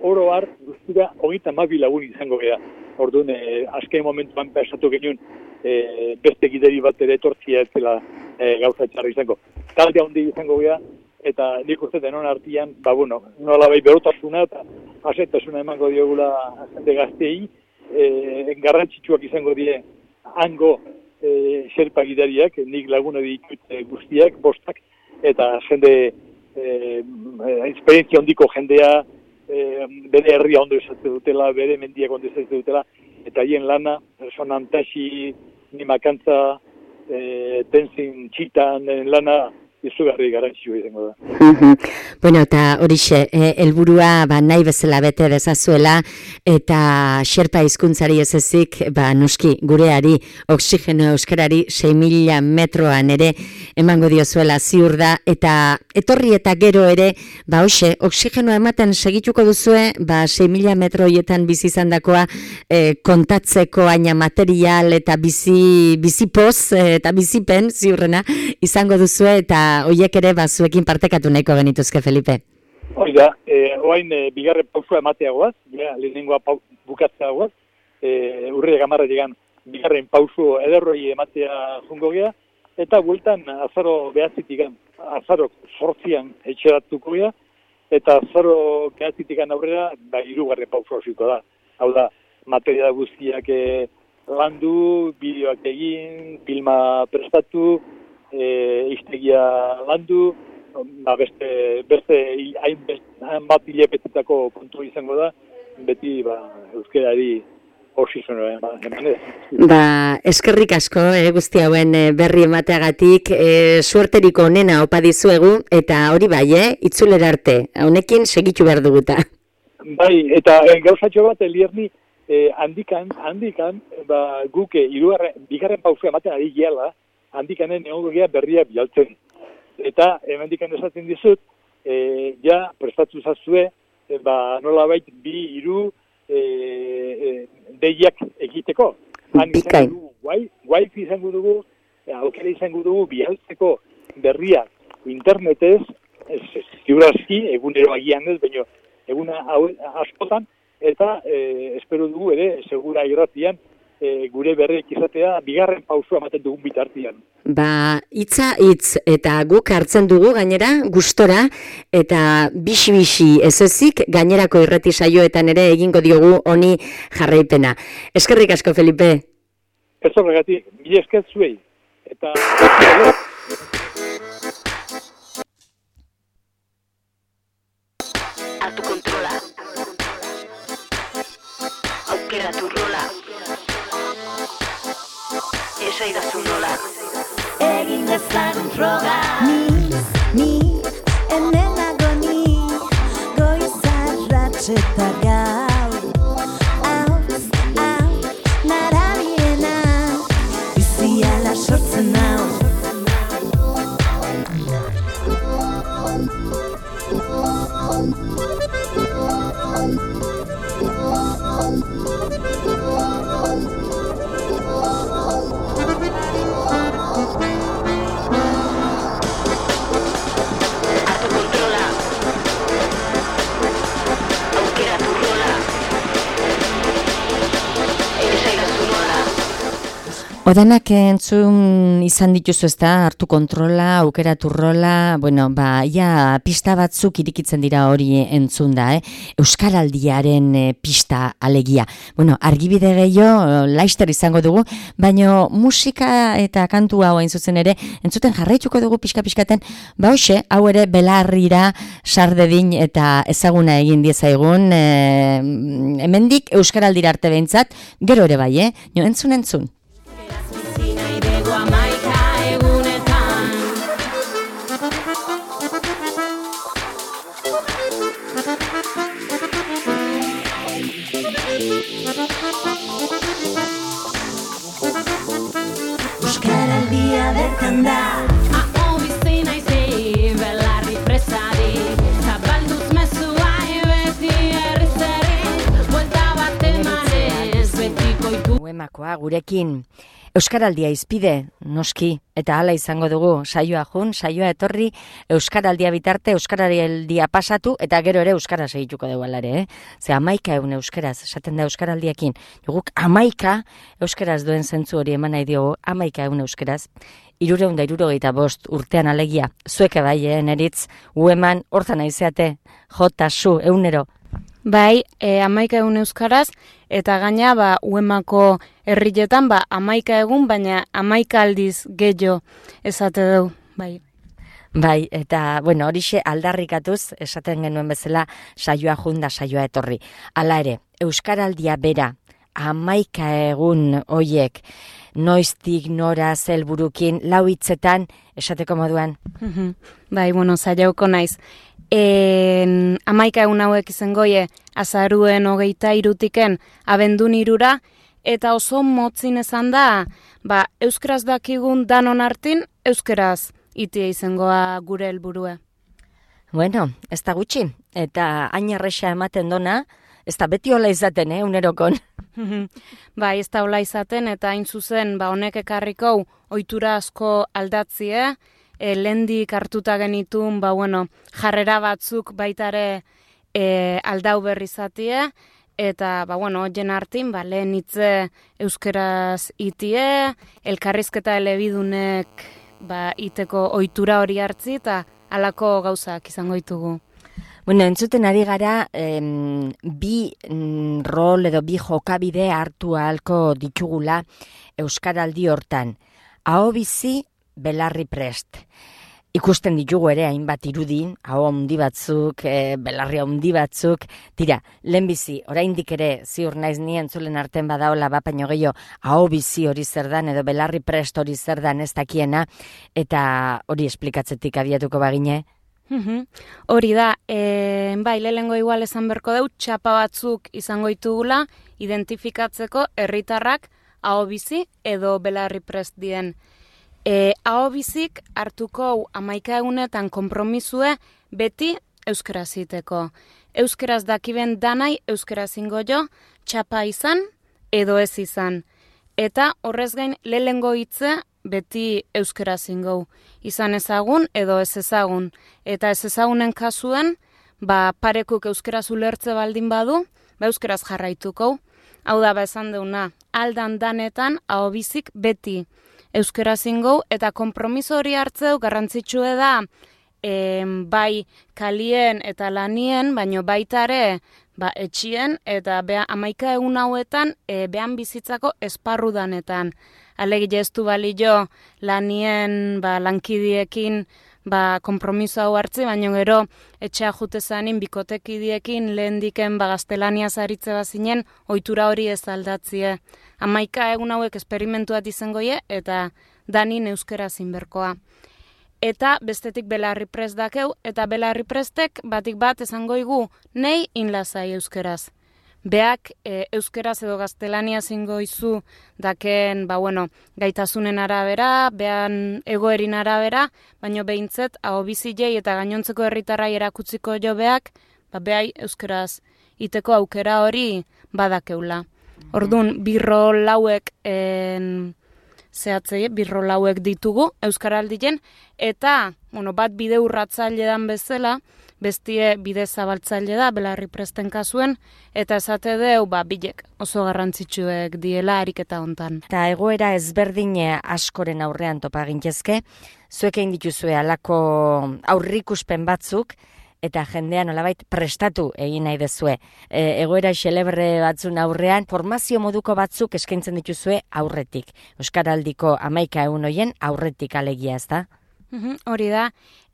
oro har, guztura, hogeita amabi lagun izango geha. Orduan, e, azken momentuan pensatu genuen, e, beste gidari bat ere etortzia ez zela e, gauza txarra izango. Talde handi izango geha, eta nik uste denon artian, ba, bueno, nola bai berotasuna eta asetasuna emango diogula jende gaztei, e, garrantzitsuak izango die hango e, xerpa gidariak, nik laguna ditut e, guztiak, bostak, eta jende Eh, esperientzia handiko jendea, eh, bere herria ondo izatzen dutela, bere mendiak ondo izatzen dutela, eta hien lana, sonantaxi, nimakantza, eh, tenzin txitan lana, izugarri garantzioa izango da. Bueno, eta horixe, helburua ba, nahi bezala bete dezazuela, eta xerpa hizkuntzari ez ezik, ba, noski, gureari, oxigeno euskarari, sei mila metroan ere, emango diozuela ziur da, eta etorri eta gero ere, ba, hoxe, oxigenoa ematen segituko duzue, ba, sei mila metroietan bizi izandakoa e, kontatzeko aina material eta bizi, bizi poz, eta bizipen, ziurrena, izango duzue, eta hoiek ere bazuekin partekatu nahiko genituzke, Felipe. Oida, eh, oain eh, bigarren pausua ematea goaz, ja, lehenengoa pau, bukatzea goaz, eh, urriak amarra digan bigarren pausu ederroi ematea jungo gea, eta bueltan azaro behatzitikan, azaro sortzian etxeratuko gea, eta azaro behatzitikan aurrera, ba, irugarren pausu hasiko da. Hau da, material guztiak eh, landu, bideoak egin, filma prestatu, E, iztegia landu, ba, beste, beste hain bat hilepetetako kontu izango da, beti ba, euskerari oxizono emanez. Ba, eskerrik asko, eh, guzti hauen berri emateagatik, eh, suerteriko onena opa dizuegu, eta hori bai, eh, itzulera arte, honekin segitu behar duguta. Bai, eta eh, gauzatxo bat, Elierni, eh, handikan, handikan, ba, guke, irugarren, bigarren pausu ematen ari gehala, handikanen egongo gea berria bialtzen. Eta hemendikan esaten dizut, e, ja prestatu zazue, e, ba, nola bait bi hiru e, e, deiak egiteko. Han izango dugu, guai, wifi izango dugu, aukera izango dugu bialtzeko berria internetez, ziurazki, egunero agian ez, baina eguna askotan, eta e, espero dugu ere, segura irratian, E, gure berriak izatea, bigarren pausua ematen dugun bitartian. Ba, hitza hitz eta guk hartzen dugu gainera gustora eta bixi-bixi ez ezik gainerako irrati saioetan ere egingo diogu honi jarraipena. Eskerrik asko, Felipe. Ez horregatik, mila esker zuei. Eta... Hartu kontrola. Aukera tu rola. Esaidazu nola. Egin dezagun froga. Ni, ni, hemen nago ni, goizarratx eta gau. Hauz, hau, narabiena, biziala sortzen hau. Odanak entzun izan dituzu ezta, hartu kontrola, aukeratu rola, bueno, ba, ia pista batzuk irikitzen dira hori entzun da, eh? Euskaraldiaren eh, pista alegia. Bueno, argibide gehiago, laister izango dugu, baino musika eta kantu hau hain zuzen ere, entzuten jarraituko dugu pixka-pixkaten, ba hoxe, hau ere belarrira sardedin eta ezaguna egin diezaigun, eh, hemendik Euskaraldira arte behintzat, gero ere bai, eh? Jo, entzun, entzun. Amaika egunetan Euskaraldia bertan da Aho bizi naizi belarri presari Zabalduz mezua beti errizeri Buelta bat emanez betiko iku Uemakoa gurekin Euskaraldia izpide, noski, eta hala izango dugu, saioa jun, saioa etorri, Euskaraldia bitarte, Euskaraldia pasatu, eta gero ere Euskara segituko dugu alare, eh? Ze amaika egun Euskaraz, esaten da Euskaraldiekin, joguk amaika Euskaraz duen zentzu hori eman nahi diogu, amaika egun Euskaraz, irureun da irurogeita bost urtean alegia, zueke bai, eh, neritz, ueman, hortan aizeate, jota, su, eunero. Bai, e, amaika egun euskaraz, eta gaina ba, uemako herrietan ba, amaika egun, baina amaika aldiz gehiago esate dugu, bai. Bai, eta, bueno, horixe aldarrikatuz, esaten genuen bezala, saioa junda, saioa etorri. Hala ere, Euskaraldia bera, amaika egun hoiek, noiztik nora zelburukin, lau hitzetan, esateko moduan. Bai, bueno, saiauko naiz. En, amaika egun hauek izango goie azaruen hogeita irutiken abendun irura, eta oso motzin esan da, ba, euskaraz dakigun danon hartin, euskaraz itia izangoa gure helburua. Bueno, ez da gutxi, eta hain erresa ematen dona, ez da beti hola izaten, eh, unerokon. Bai, ez da hola izaten, eta hain zuzen, ba, honek ekarriko ohitura asko aldatzie, E, lendik hartuta genitun, ba, bueno, jarrera batzuk baitare e, aldau berri zatie, eta, ba, bueno, hoien hartin, ba, lehen hitze euskeraz itie, elkarrizketa elebidunek, ba, iteko ohitura hori hartzi, eta halako gauzak izango ditugu. Bueno, entzuten ari gara, em, bi mm, rol edo bi jokabide hartu ahalko ditugula Euskaraldi hortan. Aho bizi, belarri prest. Ikusten ditugu ere hainbat irudi, aho handi batzuk, e, belarri handi batzuk, tira, lehenbizi, oraindik ere ziur naiz ni entzulen arten badaola bapaino gehiago, aho bizi hori zer dan edo belarri prest hori zer dan ez dakiena, eta hori esplikatzetik abiatuko bagine. Hori da, e, bai, lehengo igual esan berko deu, txapa batzuk izango ditugula, identifikatzeko herritarrak aho bizi edo belarri prest dien. E, aho bizik hartuko amaika egunetan konpromisue beti euskaraz iteko. Euskaraz dakiben danai euskaraz ingo jo, txapa izan edo ez izan. Eta horrez gain lehengo hitze beti euskaraz ingo. Izan ezagun edo ez ezagun. Eta ez ezagunen kasuen, ba, parekuk euskaraz ulertze baldin badu, ba, euskaraz jarraituko. Hau da, ba, esan deuna, aldan danetan aho bizik beti euskaraz ingo, eta konpromiso hori hartzeu garrantzitsue da e, bai kalien eta lanien, baino baitare ba, etxien eta bea, amaika egun hauetan e, behan bizitzako esparru danetan. Alegile ez du balio lanien ba, lankidiekin ba, konpromiso hau hartzi, baino gero etxea jute zanin bikotekidiekin lehen diken ba, gaztelania zaritze bazinen ohitura hori ez aldatzie. Amaika egun hauek esperimentuat izangoie eta danin euskera zinberkoa. Eta bestetik belarri prest dakeu, eta belarri prestek batik bat esangoigu nei inlazai euskeraz. Beak e, euskeraz edo gaztelania zingo izu daken ba, bueno, gaitasunen arabera, behan egoerin arabera, baino behintzet aho bizilei eta gainontzeko herritarrai erakutziko jo beak, ba, behai euskeraz iteko aukera hori badakeula. Orduan, birro lauek en, zehatzei, birrol hauek ditugu Euskaraldien, eta, bueno, bat bide urratzaile dan bezala, bestie bide zabaltzaile da, Belarri Presten kasuen, eta esate deu, ba, bilek oso garrantzitsuek diela ariketa hontan. Eta egoera ezberdin askoren aurrean topa gintezke, zuek egin dituzue alako aurrikuspen batzuk, eta jendea nolabait prestatu egin nahi dezue. E, egoera xelebre batzun aurrean, formazio moduko batzuk eskaintzen dituzue aurretik. Euskaraldiko hamaika egun hoien aurretik alegia, ez da? Uhum, hori da,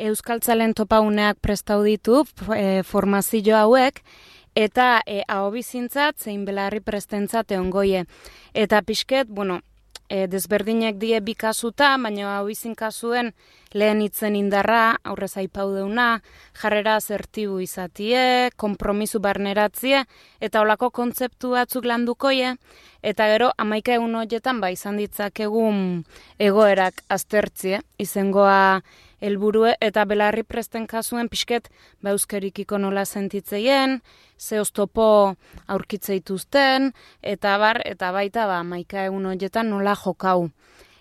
Euskaltzalen topauneak prestau ditu e, formazio hauek, eta e, ahobizintzat zein Belarri Prestentzat egongoie. Eta pixket, bueno, e, desberdinek die bi kasuta, baina ahobizin kasuen lehen hitzen indarra, aurrez aipau deuna, jarrera asertibu izatie, konpromisu barneratzie, eta olako kontzeptu batzuk landukoie, eta gero hamaika egun horietan ba izan ditzakegun egoerak aztertzie, izengoa helburue, eta Belarri Presten kasuen pixket ba euskerikiko nola sentitzeien, ze oztopo aurkitzeituzten, eta bar, eta baita ba hamaika egun horietan nola jokau.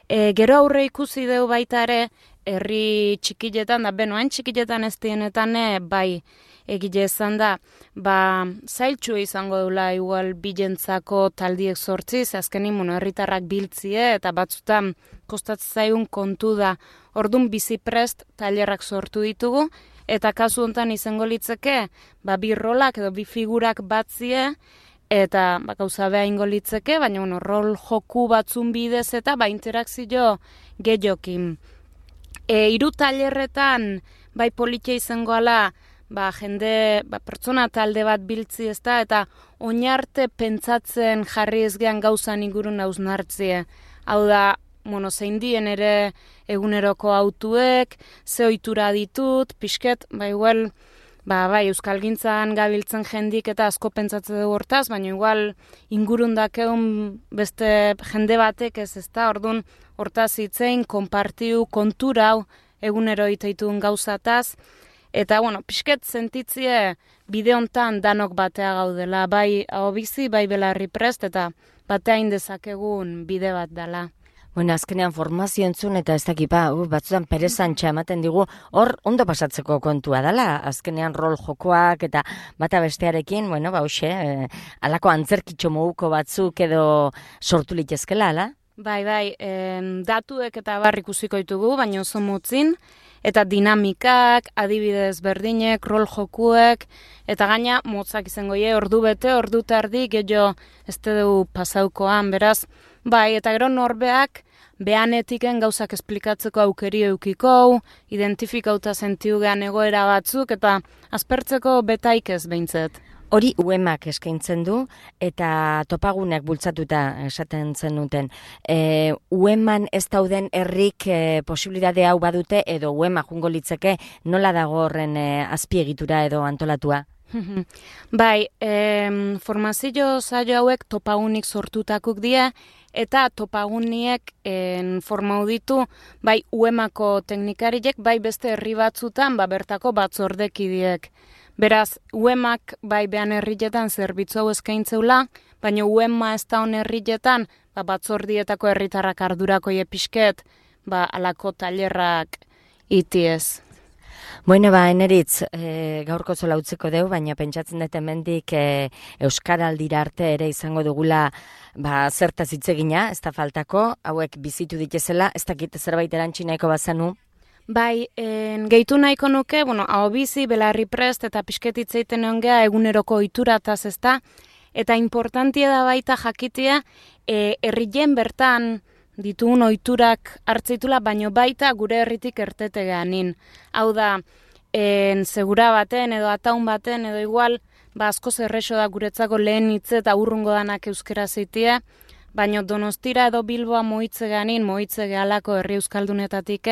E, gero aurre ikusi deu baita ere, herri txikiletan da, benoain txikiletan ez dienetan bai egile izan da, ba, zailtxu izango dula igual bilentzako taldiek sortzi, ze azkenin, bueno, herritarrak biltzie, eta batzutan kostatzen zaigun kontu da, ordun biziprest tailerrak sortu ditugu, eta kasu hontan izango litzeke, ba, bi rolak edo bi figurak batzie, eta ba, gauza beha ingo litzeke, baina bueno, rol joku batzun bidez eta ba, interakzio gehiokin. E, iru tailerretan bai politia izango ala, ba, jende, ba, pertsona talde bat biltzi ez da, eta oinarte pentsatzen jarri ez gean gauzan ingurun hausnartzie. Hau da, bueno, zein dien ere eguneroko autuek, ze ohitura ditut, pixket, ba, igual, ba, bai, euskalgintzan gabiltzen jendik eta asko pentsatze dugu hortaz, baina igual ingurun dakeun beste jende batek ez ez da, orduan hortaz hitzein, konpartiu, konturau, egunero iteitun gauzataz, eta, bueno, pixket sentitzie bide hontan danok batea gaudela, bai ahobizi, bai Belarri Prest, eta batea indezakegun bide bat dela. Bueno, azkenean formazio entzun eta ez dakipa, uh, batzutan perezantxa ematen digu, hor ondo pasatzeko kontua dela, azkenean rol jokoak eta bata bestearekin, bueno, ba, hoxe, eh, alako antzerkitxo moguko batzuk edo sortu litezkela, ala? Bai, bai, em, datuek eta bar ikusiko ditugu, baina oso motzin, eta dinamikak, adibidez berdinek, rol jokuek, eta gaina motzak izango ie, ordu bete, ordu tardi, gehiago ez dugu pasaukoan, beraz, bai, eta gero norbeak behanetiken gauzak esplikatzeko aukeri eukiko, identifikauta sentiu gehan egoera batzuk, eta aspertzeko betaik ez behintzet. Hori U E M-ak eskaintzen du, eta topaguneak bultzatuta esaten zenuten. E, U E M-an ez dauden herrik e, posibilitate hau badute, edo U E M-a jungo litzeke nola dago horren e, azpiegitura edo antolatua? Bai, em, formazio saio hauek topagunik sortutakuk die, eta topaguniek en, formau ditu, bai U E M-ako teknikariek, bai beste herri batzutan, ba, bertako batzordekidiek. Beraz, U E M-ak bai behan herrietan zerbitzu hau eskaintzeula, baina U E M-a ez da hon herrietan, ba, batzordietako herritarrak ardurako pixket, ba, alako tailerrak itiez. Bueno, ba, eneritz, e, gaurko zola utzeko deu, baina pentsatzen dut hemendik e, Euskaraldira arte ere izango dugula ba, zertaz hitzegina, ez da faltako, hauek bizitu ditezela, ez dakit zerbait erantzi nahiko bazanu. Bai, en, gehitu nahiko nuke, bueno, ahobizi, Belarri Prest eta pixketitzeiten ongea eguneroko ohiturataz ez da, eta importantia da baita jakitea, e, herrien bertan ditugun ohiturak hartzeitula, baino baita gure herritik ertete gehanin. Hau da, en, segura baten edo ataun baten edo igual, ba asko zerrexo da guretzako lehen hitze eta urrungo danak euskera zeitie, baino Donostira edo Bilboa moitze gehanin, moitze gehalako herri euskaldunetatik,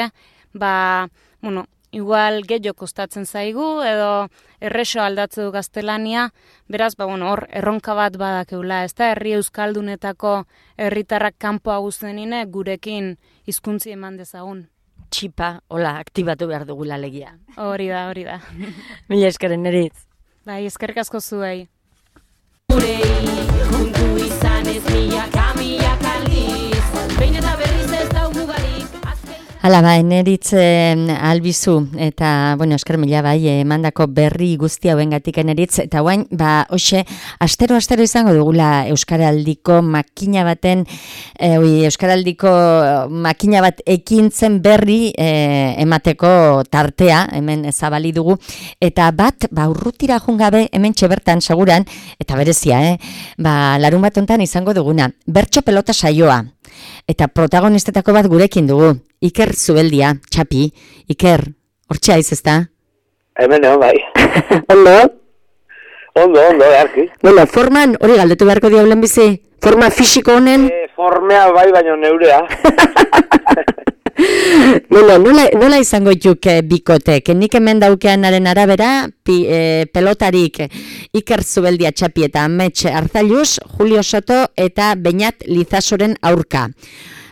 ba, bueno, igual gehiago kostatzen zaigu, edo errexo aldatze du gaztelania, beraz, ba, bueno, hor, erronka bat badakeula, ez da, herri euskaldunetako herritarrak kanpoa guztenine gurekin hizkuntzi eman dezagun. Txipa, hola, aktibatu behar dugula legia. Hori da, hori da. Mila eskeren eritz. Bai, eskerrik asko zuei. Gurei, kontu izan ez milaka, milaka aldiz, behin eta berriz ez Hala ba, eneritz eh, albizu, eta, bueno, esker mila bai, emandako berri guzti hauengatik eneritz, eta guain, ba, hoxe, astero-astero izango dugula Euskaraldiko makina baten, e, oi, Euskaraldiko makina bat ekintzen berri e, emateko tartea, hemen zabali dugu, eta bat, ba, urrutira jungabe, hemen txebertan seguran, eta berezia, eh? Ba, larun bat ontan izango duguna, bertso pelota saioa, eta protagonistetako bat gurekin dugu, Iker Zubeldia, Txapi, Iker, hortxe aiz ezta? Hemen egon bai. Ondo? Ondo, ondo, earki. Bueno, forman, hori galdetu beharko diaulen bizi, forma fisiko honen? E, formea bai, baino neurea. Bueno, nola, nola izango juk eh, bikotek? Nik hemen daukeanaren arabera, pi, eh, pelotarik Iker Zubeldia Txapi eta Amets Arzalluz, Julio Soto eta Beñat Lizasoren aurka.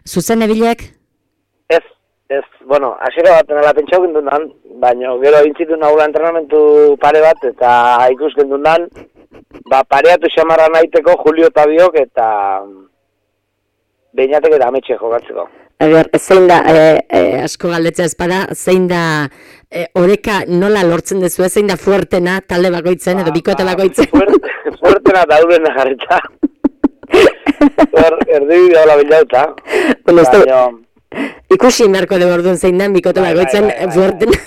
Zuzen ebilek? Ez, ez, bueno, hasiera bat nela pentsau gendundan, baina gero intzitu nahula entrenamentu pare bat, eta ikus gendundan, ba, pareatu xamarra nahiteko Julio eta biok, eta Beñatek eta Ametxe jokatzeko. Eger, zein da, e, e, asko galdetzea espada, zein da, e, oreka nola lortzen dezu, zein da fuertena, talde bakoitzen, edo bikote bakoitzen? Fuerte, fuertena da urena jarrita. Erdi bidea hola bilauta. Bueno, baino... Ikusi merko de orduan zein den, bikote bai, bakoitzen, bai, bai, fuertena.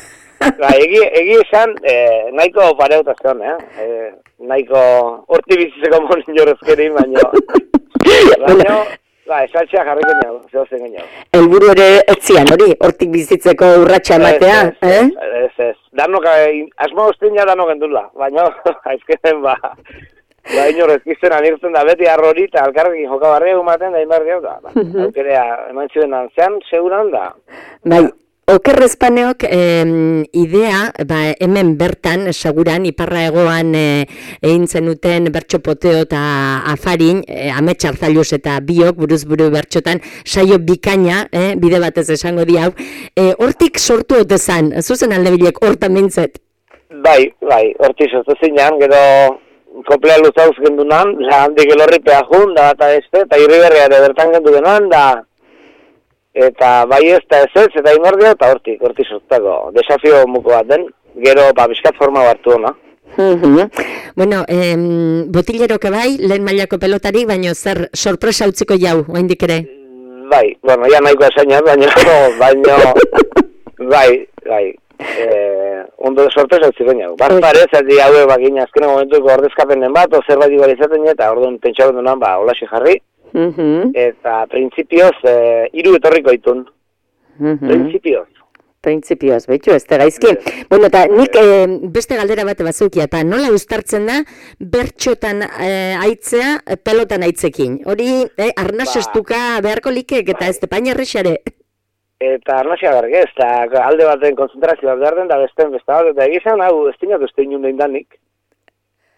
Bai, egi, egi esan, eh, nahiko pareuta zeon, eh? eh nahiko horti bizitzeko monin jorezkeri, baino... baino, ba, esaltxea jarriken jau, zehozen gen jau. Elburu ere etzian, hori, hortik bizitzeko urratxa ematea, ez, eh? Ez, ez, ez. Danok, asmo guztin ja danok endula, baino, aizkenen, ba... Ba, inorezkizten anirtzen da beti arrori eta alkarrekin jokabarria gumaten da inbarri hau da. Ba, aukerea eman txuden antzean, seguran da. Bai, okerrezpaneok eh, idea, ba, hemen bertan, seguran, iparra egoan eh, egin zenuten bertso poteo eta afarin, eh, Amets Arzalluz eta biok, buruz buru bertxotan, saio bikaina, eh, bide batez esango di hau, eh, hortik sortu otezan, zuzen alde bilek, hortan mintzet? Bai, bai, hortik sortu zinean, gero... Koplea luzauz gendunan, handik elorripea jun, da eta este, eta irriberria ere bertan gendu genuan, da... Eta bai ez da ez ez, eta imordia, eta hortik, hortik sortako, desafio muko bat den, gero, ba, bizkat forma hartu hona. Bueno, eh, botileroke bai, lehen mailako pelotarik, baina zer sorpresa utziko jau, oaindik ere? Bai, bueno, ja nahiko esainat, baina, baina, bai, bai. Eh, ondo sorpresa utzi baina. Bat parez, aldi haue bakin azkene momentuko ordezkapenen bat, o zerbait ibalizaten eta orduan pentsau dunan, ba, holaxe jarri. Uh -huh. Eta printzipioz, eh, hiru etorriko itun. Uh -huh. Printzipioz. Printzipioz, behitu, ez da gaizki. Yes. Bueno, eta nik eh, beste galdera bat bazukia, eta nola uztartzen da bertxotan eh, aitzea pelotan aitzekin. Hori, eh, arnaz ba. Estuka beharko likek eta ba. Ez tepain errexare. Eta arnasia berge, ez da alde baten konzentrazioa behar den, da besten beste bat, eta egizan, hau, ez dinatu ez dinun dein danik.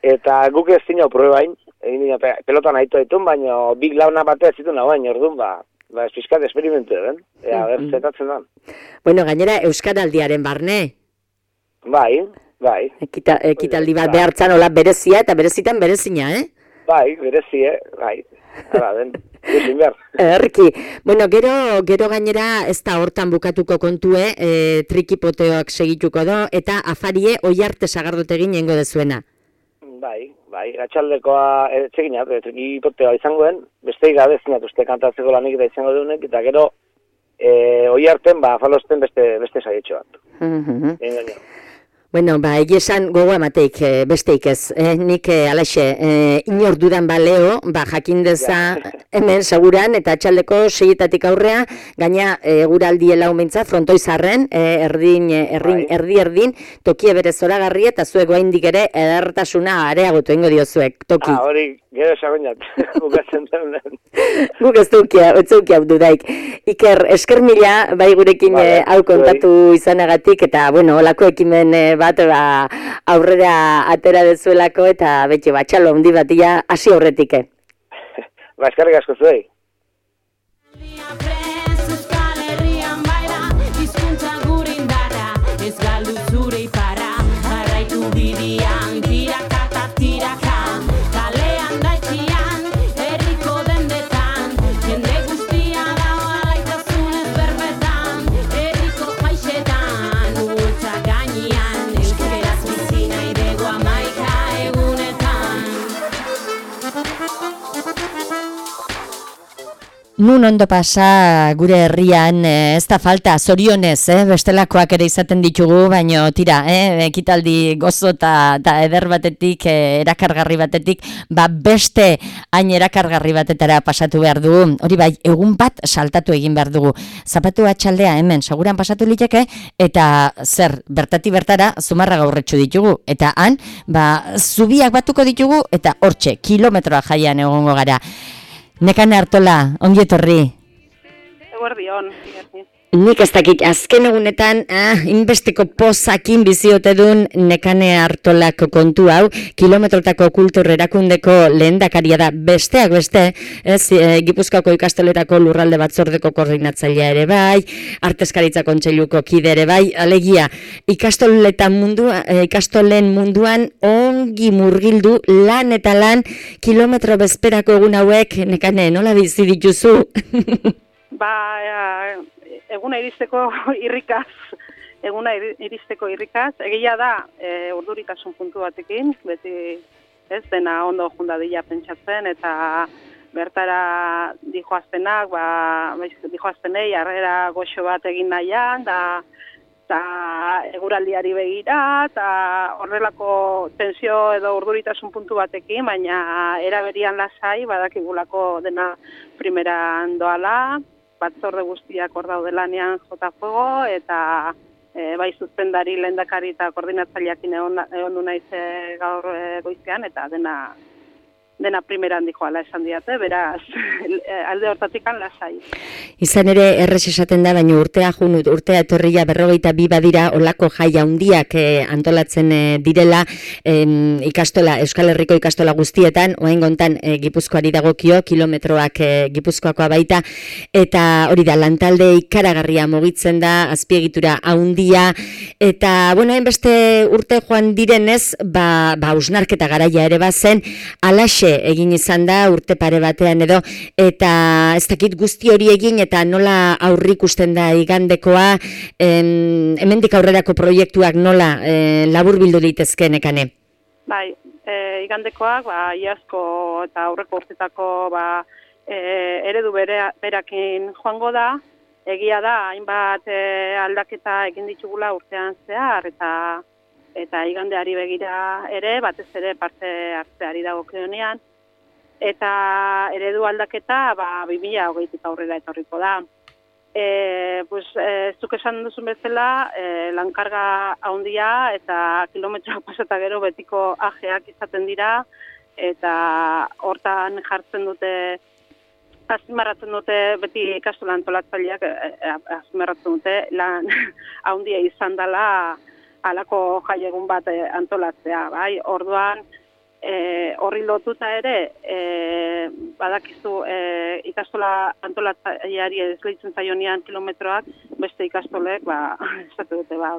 Eta guk ez dinau probain, egin dina pelotan aitu aitun, baina big launa batea ez zituen hau baina, orduan, ba, ba espizkat esperimentu den, ea, ber, zetatzen dan. Bueno, gainera, Euskaraldiaren barne? Bai, bai. Ekita, ekitaldi bat behartzan, hola, berezia, eta berezitan berezina, eh? Bai, berezie, bai. Hala, den, duzen behar. Erki, bueno, gero, gero gainera ez da hortan bukatuko kontue, e, trikipoteoak segituko do, eta afarie oi arte sagardote ginengo dezuena. Bai, bai, atxaldekoa, etxeginat, trikipoteoa izangoen, beste gabe zinat uste kantatzeko lanik da izango duenek, eta gero, e, oi arten, ba, falosten beste, beste saietxo bat. Uh-huh. Bueno, ba, egizan gogoa mateik e, besteik ez. E, nik e, alaxe, e, inor dudan baleo, ba, jakindeza hemen seguran, eta atxaldeko seietatik aurrea, gaina e, guraldi elau mintza, frontoizarren, e, erdin, erdin, erdi erdin, tokie bere zoragarri, eta zuek goaindik ere edertasuna areagotu ingo diozuek, toki. Ah, hori, gero esagoinat, bukatzen den. Guk ez dukia, ez dukia dudaik. Iker, esker mila, bai gurekin vale, e, hau kontatu izanagatik, eta, bueno, olako ekimen e, bat ba, aurrera atera dezuelako eta betxe batxalo handi batia hasi horretik. Ba, eskerrik asko zuei. nun ondo pasa gure herrian, eh, ez da falta, zorionez, eh, bestelakoak ere izaten ditugu, baino tira, eh, ekitaldi gozo eta eder batetik, eh, erakargarri batetik, ba beste hain erakargarri batetara pasatu behar dugu, hori bai, egun bat saltatu egin behar dugu. Zapatu atxaldea hemen, seguran pasatu liteke, eta zer, bertati bertara, Zumarra gaurretxu ditugu, eta han, ba, zubiak batuko ditugu, eta hortxe, kilometroa jaian egongo gara. Nekane Artola, ongi etorri. Eguerdion. Nik ez dakit, azken egunetan, ah, inbesteko pozakin biziote duen Nekane Artolako kontu hau, kilometrotako kultur erakundeko lehendakaria da, besteak beste, ez, e, Gipuzkoako ikastoletako lurralde batzordeko koordinatzailea ere bai, Artezkaritza Kontseiluko kide ere bai, alegia, ikastoletan mundua, e, ikastolen munduan ongi murgildu lan eta lan kilometro bezperako egun hauek, Nekane, nola bizi dituzu? Ba, eguna iristeko irrikaz, eguna iristeko irrikaz, egia da, e, urduritasun puntu batekin, beti ez dena ondo jundadila pentsatzen, eta bertara dijoaztenak, ba, dijoaztenei, harrera goxo bat egin nahian, da, eta eguraldiari begira, eta horrelako tensio edo urduritasun puntu batekin, baina eraberian lasai, badakigulako dena primeran doala, batzorde guztiak hor daude lanean jota fuego, eta e, bai zuzendari lehendakari eta koordinatzaileakin egon du naiz e, gaur e, goizean, eta dena dena primeran dijoala esan diate, beraz, alde hortatikan lasai. Izan ere, errez esaten da, baina urtea jun, urtea etorria berrogeita bi badira, olako jai handiak eh, antolatzen eh, direla, eh, ikastola, Euskal Herriko ikastola guztietan, oain gontan eh, Gipuzkoari dagokio, kilometroak eh, Gipuzkoakoa baita, eta hori da, lantalde ikaragarria mugitzen da, azpiegitura handia, eta, bueno, hainbeste urte joan direnez, ba, ba, usnarketa garaia ere bazen, alaxe egin izan da urte pare batean edo, eta ez dakit guzti hori egin eta nola aurrikusten da igandekoa, em, hemendik aurrerako proiektuak nola e, laburbildu litezke, Nekane? Bai, e, igandekoak, ba, iazko eta aurreko urtetako ba, e, eredu bere, berakin joango da, egia da, hainbat e, aldaketa egin ditugula urtean zehar, eta eta igandeari begira ere, batez ere parte hartzeari dagokionean, eta eredu aldaketa ba, bi mila hogeitik aurrera etorriko da. E, pues, e, zuk esan duzun bezala, e, lankarga handia eta kilometroak pasata gero betiko ajeak izaten dira, eta hortan jartzen dute, azpimarratzen dute, beti ikastola antolatzaileak azpimarratzen dute, lan handia izan dela, halako jaiegun bat antolatzea, bai, orduan e, horri lotuta ere, e, badakizu e, ikastola antolatzaileari esleitzen zaionean kilometroak, beste ikastolek, ba, esate dute, ba,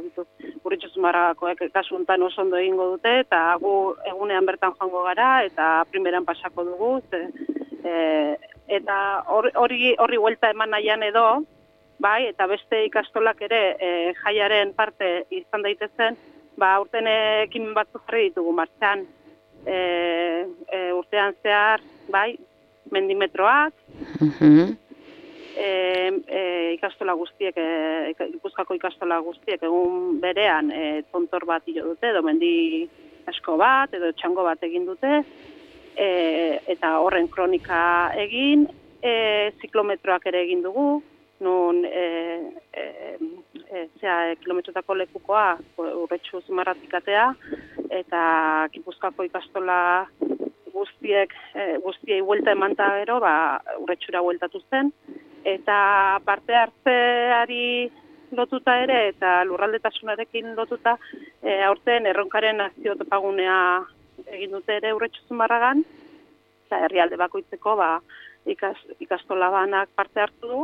Urritxu Zumarrakoek kasu honetan oso ondo egingo dute, eta gu egunean bertan joango gara, eta primeran pasako dugu, ze, e, eta hori horri huelta eman nahian edo, bai, eta beste ikastolak ere e, jaiaren parte izan daitezen, ba, urten ekimen batzuk jarri ditugu martxan, e, e, urtean zehar, bai, mendimetroak, uh-huh. e, e, ikastola guztiek, e, Gipuzkoako ikastola guztiek egun berean e, tontor bat hilo dute, edo mendi asko bat, edo txango bat egin dute, e, eta horren kronika egin, e, ziklometroak ere egin dugu, nun e, e, e, zea, kilometrotako lekukoa Urretxu Zumarratik atea, eta Gipuzkoako ikastola guztiek, e, guztiei buelta emanta gero, ba, Urretxura bueltatu zen, eta parte hartzeari lotuta ere, eta lurraldetasunarekin lotuta, e, aurten erronkaren nazio topagunea egin dute ere Urretxu Zumarragan, eta herrialde bakoitzeko ba, ikas, ikastola banak parte hartu du,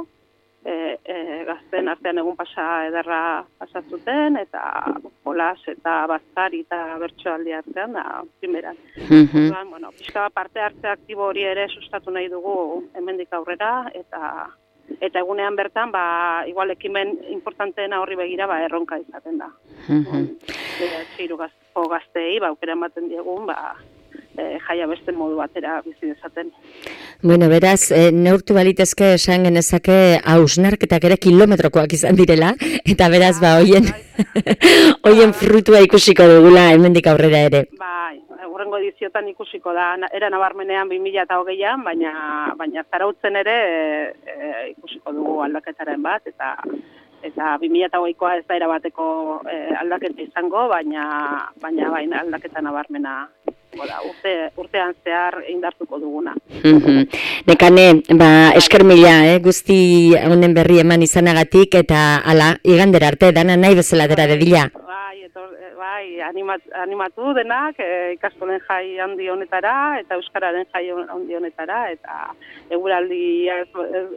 E, e, gazten artean egun pasa ederra pasatzuten, eta jolas eta bazkari eta bertsoaldi artean, da, primeran. Mm-hmm. Bueno, pixka parte hartze aktibo hori ere sustatu nahi dugu hemendik aurrera, eta eta egunean bertan, ba, igual ekimen importanteena horri begira, ba, erronka izaten da. Mm-hmm. Txiru gazteko gaztei, ba, aukera ematen diegun, ba, e, jaia beste modu batera bizi dezaten. Bueno, beraz, e, neurtu balitezke esan genezake hausnarketak ere kilometrokoak izan direla, eta beraz, ba, hoien, hoien frutua ikusiko dugula hemendik aurrera ere. Bai, hurrengo ediziotan ikusiko da, era nabarmenean bi mila hogeian, baina, baina zarautzen ere e, ikusiko dugu aldaketaren bat, eta eta bi mila hogeikoa ez da erabateko e, aldaketa izango, baina, baina baina aldaketa nabarmena. Da, urte, urtean zehar indartuko duguna. Mm-hmm. Nekane, ba, esker mila, eh, guzti honen berri eman izanagatik, eta ala, igandera arte, dana nahi bezala dera dedila. Bai, etor, bai animat, animatu denak, e, ikastolen jai handi honetara, eta euskararen jai handi honetara, eta eguraldi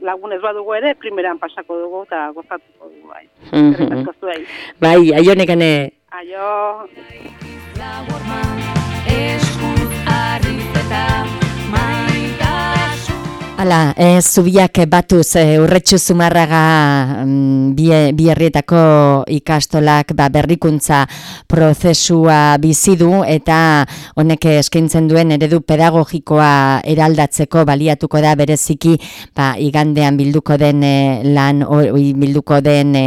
lagunez badugu ere, primeran pasako dugu, eta gozatuko dugu, bai. Mm-hmm. Bai, aio nekane. Aio. Hala, e, zubiak batuz e, Urretxu Zumarraga mm, bi, bi herrietako ikastolak ba, berrikuntza prozesua bizi du eta honek eskaintzen duen eredu pedagogikoa eraldatzeko baliatuko da bereziki ba, igandean bilduko den e, lan hori bilduko den e,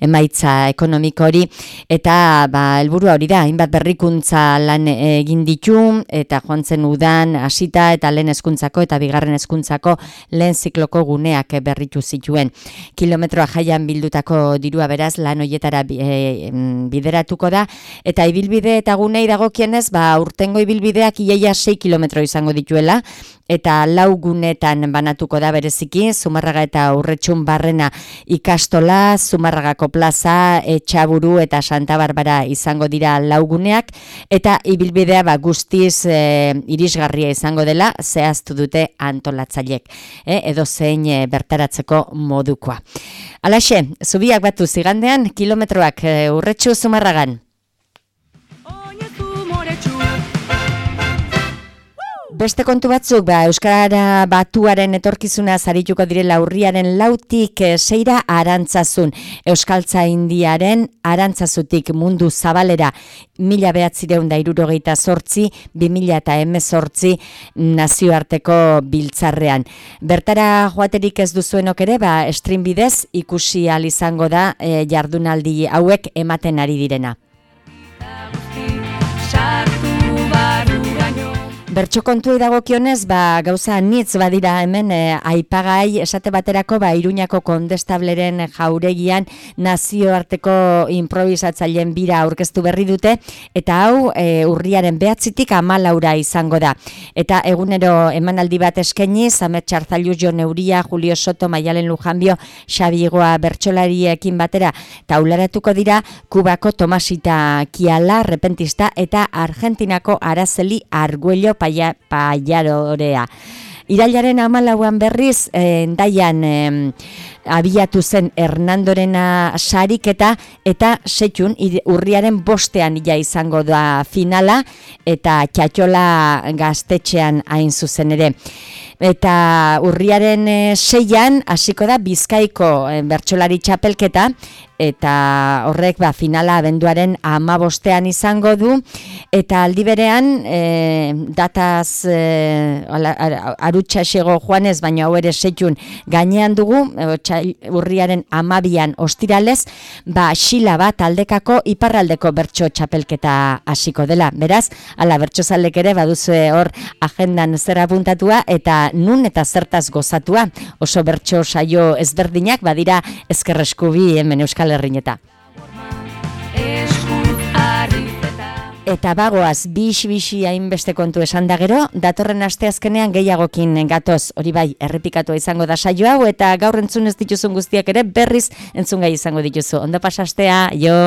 emaitza ekonomiko hori eta ba, helburua hori da, hainbat berrikuntza lan egin ditu eta joan zen udan hasita eta lehen hezkuntzako eta bigarren hezkuntzako lehen zikloko guneak berritu zituen. Kilometroa jaian bildutako dirua beraz lan hoietara e, bideratuko da eta ibilbide eta gunei dagokienez ba urtengo ibilbideak iaia sei kilometro izango dituela eta lau gunetan banatuko da bereziki Zumarraga eta Urretxun Barrena ikastola, Zumarragako plaza, Etxaburu eta Santa Barbara izango dira lau guneak eta ibilbidea ba guztiz e, irisgarria izango dela zehaztu dute antolatzaileek. E, edo zein e, bertaratzeko modukoa. Halaxe, zubiak batu zigandean, kilometroak e, Urretxu Zumarragan. Beste kontu batzuk, ba, Euskara Batuaren etorkizuna zarituko direla urriaren lautik e, seira Arantzazun. Euskaltza Indiaren Arantzazutik mundu zabalera mila behatzireun da hirurogeita zortzi, bi mila eta hemezortzi nazioarteko biltzarrean. Bertara joaterik ez duzuenok ere, ba, stream bidez ikusi ahal izango da e, jardunaldi hauek ematen ari direna. Bertso kontuei dagokionez, ba, gauza nitz badira hemen e, aipagai esate baterako ba, Iruñako Kondestableren jauregian nazioarteko improvisatzaileen bira aurkeztu berri dute eta hau e, urriaren behatzitik hamalaura izango da. Eta egunero emanaldi bat eskaini, Zamet Txarzailu, Jon Euria, Julio Soto, Maialen Lujanbio, Xabi Igoa bertsolariekin batera taularatuko dira Kubako Tomasita Kiala, repentista eta Argentinako Araceli Arguello Paia, Paiarorea. Irailaren hamalauan berriz, eh, endaian eh, abiatu zen Hernandorena sariketa eta setxun urriaren bostean ja izango da finala eta Txatxola gaztetxean hain zuzen ere. Eta urriaren e, seian hasiko da Bizkaiko e, bertsolari txapelketa eta horrek ba, finala abenduaren hamabostean izango du eta aldi berean e, dataz e, arutxasego joanez, baina hau ere setxun gainean dugu, e, urriaren hamabian ostiralez, ba xila bat aldekako iparraldeko bertso txapelketa hasiko dela. Beraz, ala bertsozalek ere baduzue hor agendan zer apuntatua eta nun eta zertaz gozatua. Oso bertso saio ezberdinak badira ezkerreskubi hemen Euskal Herrieta. Eta bagoaz, bix-bixi hainbeste kontu esan da gero, datorren asteazkenean gehiagokin gatoz, hori bai, errepikatua izango da saio hau, eta gaur entzun ez dituzun guztiak ere berriz entzun gai izango dituzu. Ondo pasastea, jo!